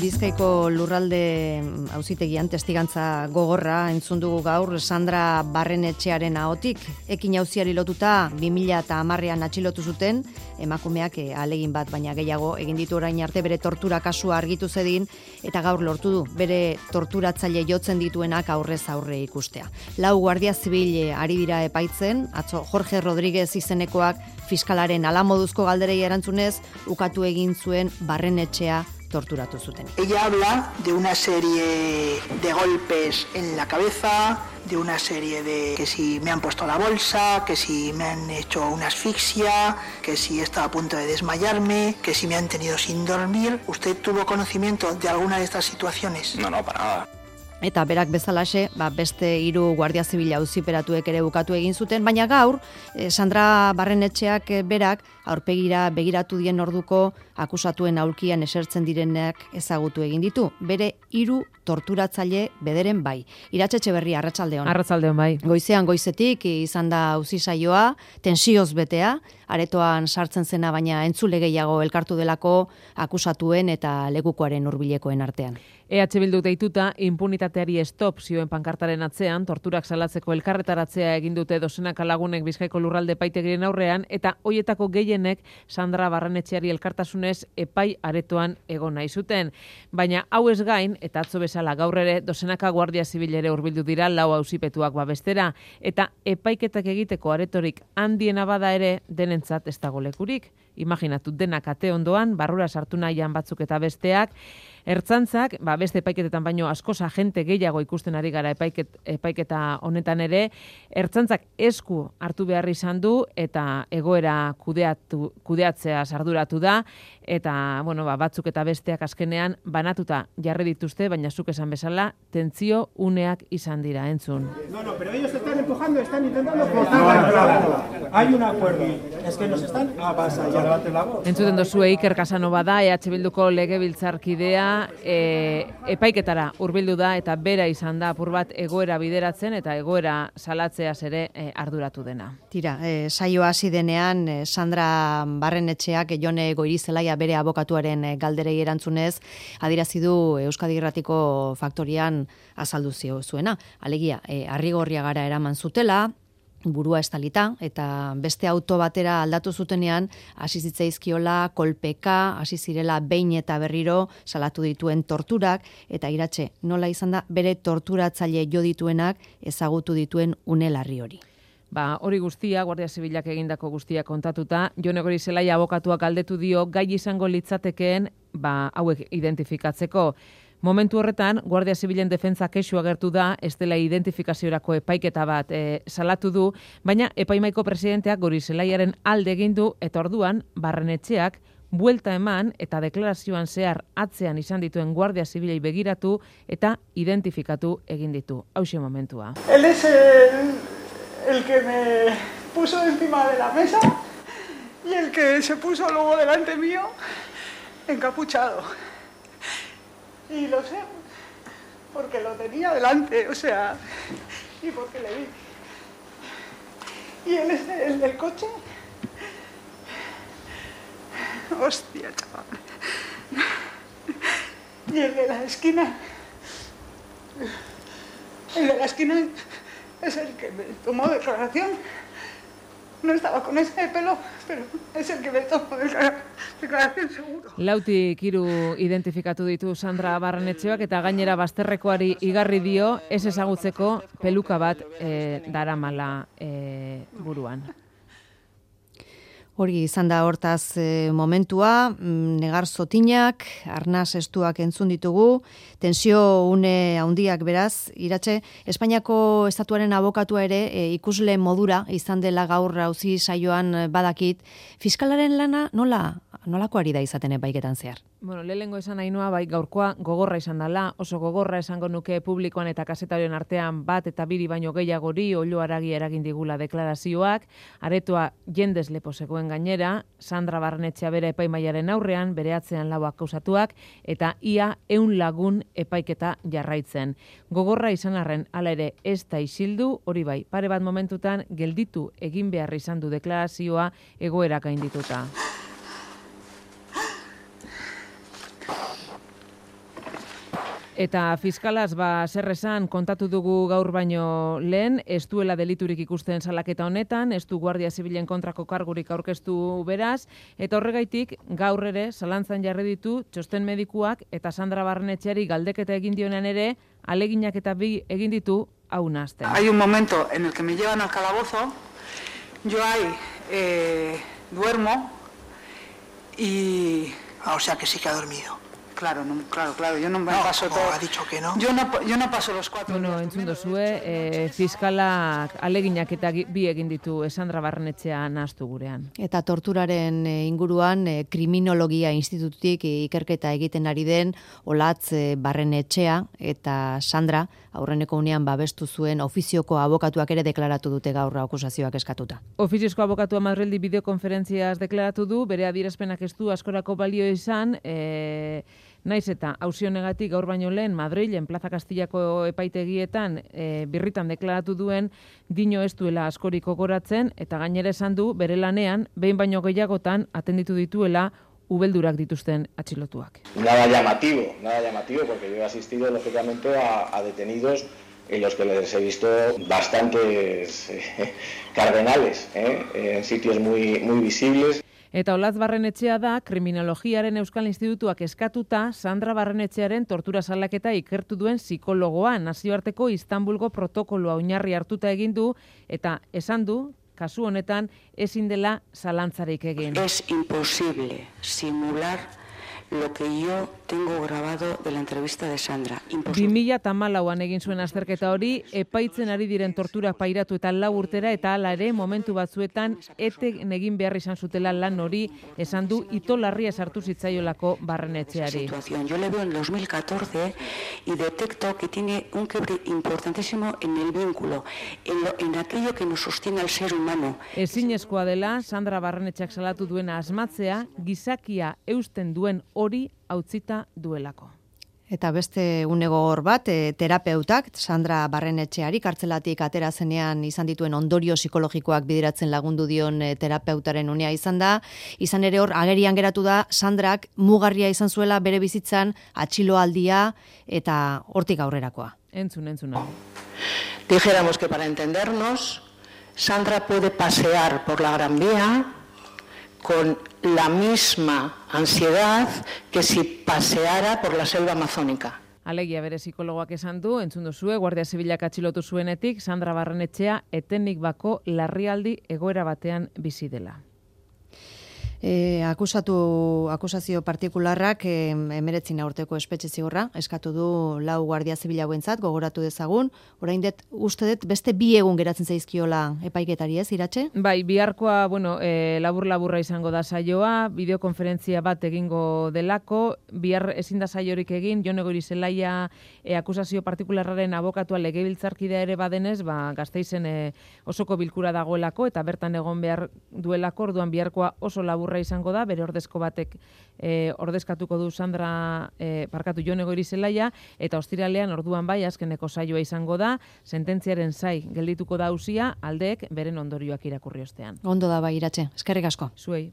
Bizkaiko lurralde auzitegian testigantza gogorra entzun dugu gaur Sandra Barrenetxearen ahotik. Ekin auziari lotuta 2010ean atxilotu zuten, emakumeak ahalegin bat baina gehiago egin ditu orain arte bere tortura kasua argitu zedin eta gaur lortu du bere torturatzaile jotzen dituenak aurrez aurre ikustea. 4 guardia zibil ari dira epaitzen, atzo Jorge Rodríguez izenekoak fiskalaren alamoduzko galderei erantzunez ukatu egin zuen Barrenetxea torturatu zuten. Ella habla de una serie de golpes en la cabeza, de una serie de que si me han puesto la bolsa, que si me han hecho una asfixia, que si estaba a punto de desmayarme, que si me han tenido sin dormir. ¿Usted tuvo conocimiento de alguna de estas situaciones? No, para nada. Eta berak bezalaxe, beste 3 guardia zibila auziperatuek ere bukatu egin zuten, baina gaur Sandra Barrenetxeak berak aurpegira begiratu dien orduko akusatuen aulkian esertzen direnak ezagutu egin ditu. Bere 3 torturatzaile bederen bai. Iratxe Etxeberria, arratsaldeon. Arratsaldeon bai. Goizean goizetik izan da auzi saioa, tensioz betea, aretoan sartzen zena baina entzule gehiago elkartu delako akusatuen eta lekukoaren hurbilekoen artean. EH Bilduk deituta impunitateari stop zioen pankartaren atzean, torturak salatzeko elkarretaratzea egin dute dozenaka lagunek Bizkaiko lurralde epaitegiren aurrean, eta hoietako gehienek Sandra Barrenetxeari elkartasunez epai aretoan egon nahi zuten. Baina hau ez gain, eta atzo bezala gaur ere, dozenaka guardia zibil ere hurbildu dira 4 auzipetuak babestera, eta epaiketak egiteko aretorik handiena bada ere denentzat ez dago lekurik. Imaginatu denak ate ondoan, barrura sartu nahian batzuk eta besteak, Ertzaintzak, beste epaiketetan baino askoz agente gehiago ikusten ari gara epaiketa honetan ere, Ertzaintzak esku hartu behar izan du eta egoera kudeatzea arduratu da, eta batzuk eta besteak azkenean banatuta jarri dituzte, baina zuk esan bezala, tentsio uneak izan dira, entzun. No, pero ellos están empujando, están intentando forzar. Hay un acuerdo, es que nos están avasallando. Entzuten duzue Iker Casanova da, EH Bilduko legebiltzarkidea, epaiketara hurbildu da eta bera izan da apur bat egoera bideratzen eta egoera salatzeaz ere arduratu dena. Tira, saioa hasi denean Sandra Barrenetxeak Jone Goirizelaia bere abokatuaren galderei erantzunez adierazi du Euskadi Irratiko faktorian azaldu zuena. Alegia, Arrigorriagara eraman zutela, burua estalita, eta beste auto batera aldatu zutenean, hasi zitzaizkiola kolpeka, hasi zirela behin eta berriro salatu dituen torturak, eta Iratxe, nola izan da bere torturatzaile jo dituenak ezagutu dituen une larri hori. Hori guztia, Guardia Zibilak egindako guztia kontatuta, Jone Goirizelaia abokatuak galdetu dio gai izango litzatekeen hauek identifikatzeko. Momentu horretan, Guardia Zibilen defentza kexu agertu da, ez dela identifikaziorako epaiketa bat salatu du, baina epaimaiko presidenteak Goirizelaiaren alde egin du eta orduan Barrenetxeak buelta eman eta deklarazioan zehar atzean izan dituen Guardia Zibilei begiratu eta identifikatu egin ditu. Hauxe momentua. Él es el que me puso encima de la mesa y el que se puso luego delante mío encapuchado. Y lo sé, porque lo tenía delante, y porque le vi. Y él es el del coche. Hostia, chaval. Y el de la esquina. El de la esquina es el que me tomó declaración. No estaba con ese pelo, pero es el que me tomó declaración seguro. 4 identifikatu ditu Sandra Barrenetxeak eta gainera bazterrekoari igarri dio ez ezagutzeko peluka bat daramala buruan. Hori izan da hortaz momentua, negar zotinak, arnaz estuak entzun ditugu, tensio une handiak beraz, Iratxe, Espainiako estatuaren abokatua ere ikusle modura izan dela gaur auzi saioan badakit, fiskalaren lana nolako ari da izaten epaiketan zehar? Lehengo esan Ainhoa, gaurkoa gogorra izan dela, oso gogorra esango nuke publikoan eta kazetarioen artean bat eta 2 baino gehiagori oilo haragi eragin digula deklarazioak, aretoa jendez lepo zegoen gainera, Sandra Barrenetxea bere epaimaiaren aurrean, bere atzean 4 akausatuak, eta ia 100 lagun epaiketa jarraitzen. Gogorra izan arren, hala ere ez da isildu, hori bai, pare bat momentutan gelditu egin behar izan du deklarazioa egoera gaindituta. Eta fiskalaz, zer esan kontatu dugu gaur baino lehen, ez duela deliturik ikusten salaketa honetan, ez du Guardia Zibilen kontrako kargurik aurkeztu beraz, eta horregaitik gaur ere zalantzan jarri ditu txosten medikuak eta Sandra Barrenetxeari galdeketa egin dionean ere, aleginak eta bi egin ditu hau nahazten. Hay un momento en el que me llevan al calabozo, yo ahí duermo y... O sea que sí que ha dormido. Claro, yo no me paso todo. Ha dicho que no. Yo no paso los 4 días. Entzun duzue, fiskalak aleginak eta bi egin ditu Sandra Barrenetxea nahaztu gurean. Eta torturaren inguruan kriminologia institututik ikerketa egiten ari den Olatz Barrenetxea eta Sandra aurreneko unean babestu zuen ofizioko abokatuak ere deklaratu dute gaur akusazioak eskatuta. Ofiziozko abokatua Madrildi bideokonferentziaz deklaratu du, bere adierazpenak ez du askorako balio izan, naiz eta auzi honegatik gaur baino lehen Madrilen Plaza Castillako epaitegietan birritan deklaratu duen dino ez duela askorik gogoratzen eta gainera esan du bere lanean behin baino gehiagotan atenditu dituela ubeldurak dituzten atxilotuak. Nada llamativo, porque yo he asistido lógicamente a detenidos en los que les he visto bastantes cardenales, en sitios muy visibles. Eta Olatz Barrenetxea da, Kriminologiaren Euskal Institutuak eskatuta Sandra Barrenetxearen tortura salaketa ikertu duen psikologoa, nazioarteko Istanbulgo protokoloa oinarri hartuta egin du, eta esan du, kasu honetan, ezin dela zalantzarik egin. Es imposible simular lo que yo tengo grabado de la entrevista de Sandra. 2014an egin zuen azterketa hori, epaitzen ari diren torturak pairatu eta 4 urtera, eta hala ere momentu batzuetan eten egin behar izan zutela lan hori, esan du ito larria sartu zitzaiolako Barrenetxeari. Yo le veo en 2014 y detecto que tiene un quiebre importantísimo en el vínculo, en aquello que nos sostiene al ser humano. Ezinezkoa dela, Sandra Barrenetxeak salatu duena asmatzea, gizakia eusten duen hori hautzita duelako. Eta beste unegogor bat, terapeutak, Sandra Barrenetxeari kartzelatik atera zenean izan dituen ondorio psikologikoak bideratzen lagundu dion terapeutaren unea izan da. Izan ere hor, agerian geratu da, Sandrak mugarria izan zuela bere bizitzan atxiloaldia eta hortik aurrerakoa. Entzuna. Dijéramos que para entendernos, Sandra puede pasear por la Gran Vía con la misma ansiedad que si paseara por la selva amazónica. Alegia bere psikologoak esan du, entzun duzue, Guardia Zibilak atxilotu zuenetik, Sandra Barrenetxea etenik bako larrialdi egoera batean bizi dela. Akusazio partikularrak 19 urteko espetxe zigorra eskatu du 4 Guardia Zibila hauentzat, gogoratu dezagun. Orain uste dut beste 2 egun geratzen zaizkiola epaiketari, ez, Iratxe? Bai, biharkoa, labur-laburra izango da saioa, bideokonferentzia bat egingo delako, bihar ezin da saiorik egin, Jon Goirizelaia akusazio partikularraren abokatua legebiltzarkidea ere badenez, Gasteizen osoko bilkura dagoelako eta bertan egon behar duelako, orduan biharkoa oso laburra izango da, bere ordezko batek ordezkatuko du Jon Goirizelaia, eta ostiralean orduan bai azkeneko saioa izango da, sententziaren zai geldituko da auzia, aldeek beren ondorioak irakurri ostean. Ondo da bai, Iratxe, eskerrik asko. Zuei.